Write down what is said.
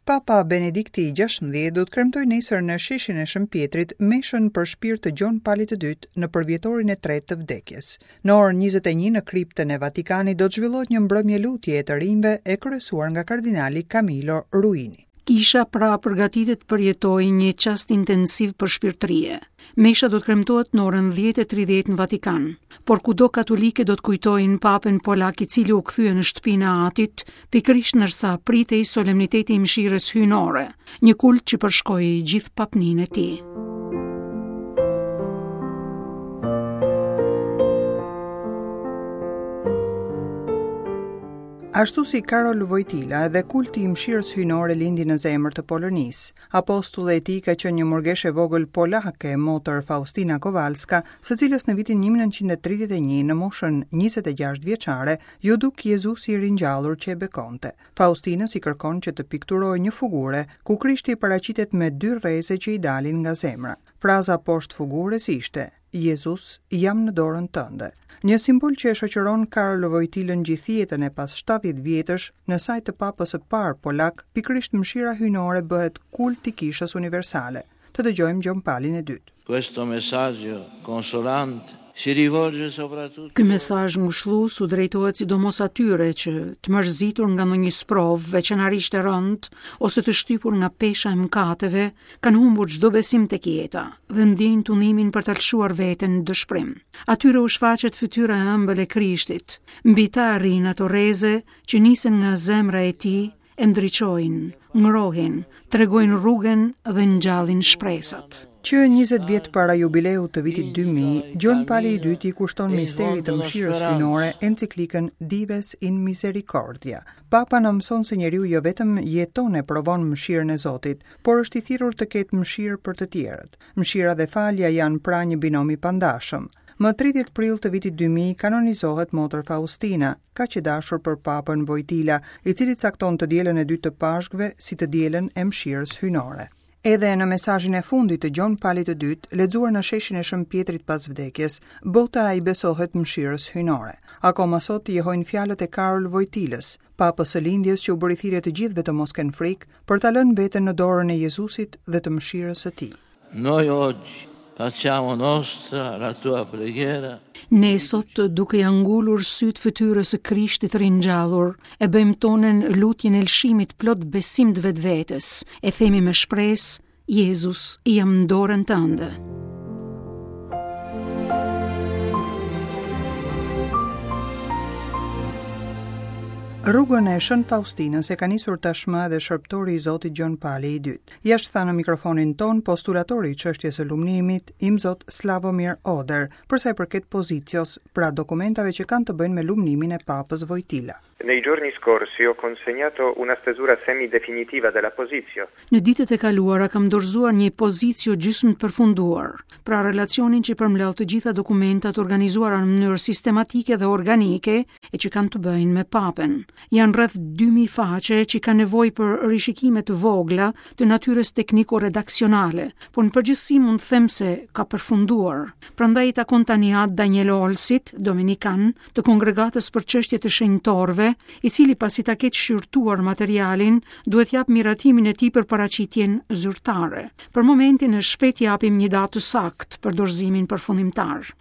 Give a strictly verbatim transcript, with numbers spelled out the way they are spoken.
Papa Benedikti i gjashtëmbëdhjetë do të kremtojë nesër në sheshin e Shën Pjetrit meshën për shpirt të Gjon Palit të Dytë në përvjetorin e tretë të vdekjes. Në orën njëzet e një në kriptën e Vatikanit do të zhvillohet një mbrëmje lutje e të rinjve e kryesuar nga kardinali Camillo Ruini. Kisha pra përgatitet përjetojë një çast intensiv për shpirtërie. Mesha do të kremtohet në orën dhjetë e tridhjetë në Vatikan, por kudo katolike do të kujtojnë papën polak i cili u kthye në shtëpinë e atit, pikërisht ndërsa pritej solemniteti i mëshirës hyjnore, një kult që përshkoi gjithë papninë e tij. Ashtu si Karol Wojtyla, edhe kulti i mëshirës hyjnore lindi në zemër të Polonisë. Apostulli e tij ka qenë një murgeshe e vogël polake, motër Faustina Kowalska, së cilës në vitin një mijë e nëntëqind e tridhjetë e një, në moshën njëzet e gjashtë vjeçare, ju duk Jezusi i ringjallur që e bekonte. Faustinës i kërkon që të pikturojë një figurë ku Krishti paraqitet me dy rreze që i dalin nga zemra. Fraza poshtë figurës ishte: Jezus, jam në dorën tënde. Një simbol që e shoqëron Karol Wojtylën gjithë jetën e pas shtatëdhjetë vjetësh, në saj të papës së parë polak, pikërisht mëshira hyjnore bëhet kult i kishës universale. Të dëgjojmë Gjon Palin e dytë. Questo messaggio consolante si rivolge soprattutto Ky mesazh ngushëllues u drejtohet sidomos atyre që, të mërzitur nga ndonjë sprovë veçanërisht e rëndë ose të shtypur nga pesha e mëkateve, kanë humbur çdo besim tek jeta dhe ndjejnë tundimin për ta lëshuar veten në dëshprim. Atyre u shfaqet fytyra e ëmbël e Krishtit, mbi ta arrin ato rreze që nisen nga zemra e tij, e ndriçojnë, ngrohin, tregojnë rrugën dhe ngjallin shpresat. Që njëzet vjet para jubileut të vitit dy mijë, Gjon Pali i dytë i kushton misterit të mëshirës hyjnore enciklikën Dives in Misericordia. Papa na mëson se njeriu jo vetëm jeton e provon mëshirën e Zotit, por është i thirrur të ketë mëshirë për të tjerët. Mëshira dhe falja janë pra një binom i pandashëm. Më tridhjetë prill të vitit dy mijë kanonizohet motër Faustina, kaq e dashur për Papën Wojtyla, i cili cakton të dielën e dytë të Pashkëve si të dielën e mëshirës hyjnore. Edhe në mesazhin e fundit të Gjon Palit të dytë, lexuar në sheshin e Shën Pjetrit pas vdekjes, bota i besohet mëshirës hyjnore. Akoma sot jehojnë fjalët e Karol Wojtylës, papës së lindjes që u bëri thirrje të gjithëve të mos kenë frikë, për ta lënë veten në dorën e Jezusit dhe të mëshirës së tij. Noi oggi facciamo nostra la tua preghiera. Ne sot, duke ja ngulur syt fytyrës së Krishtit ringjallur, e bëjmë tonën lutjen e lëshimit plot besim të vetvetes, e themi me shpresë: Jezus, jam në dorën tënde. Rrugën e Shën Faustinës e ka nisur tashmë edhe shërbëtori i Zotit Gjon Pali i dytë. Jashtë tha në mikrofonin ton postulatori i çështjes së lumnimit, Imzot Slavomir Oder, për sa i përket pozicios, pra dokumentave që kanë të bëjnë me lumnimin e Papës Wojtyla. Nei giorni scorsi ho consegnato una stesura semidefinitiva della posizio. Në ditët e kaluara kam dorëzuar një pozicio gjysmë të përfunduar, pra relacionin që përmbledh të gjitha dokumentat organizuara në mënyrë sistematike dhe organike e që kanë të bëjnë me Papën. Janë rreth dy mijë faqe që kanë nevojë për rishikime të vogla të natyrës tekniko-redaksionale, por në përgjithësi mund të them se ka përfunduar. Prandaj i takon tani At Daniel Olsit, dominikan, të Kongregatës për Çështjet e Shenjtorëve, i cili pasi ta ketë shqyrtuar materialin, duhet jap miratimin e tij për paraqitjen zyrtare. Për momentin e shpejt japim një datë të saktë për dorëzimin përfundimtar.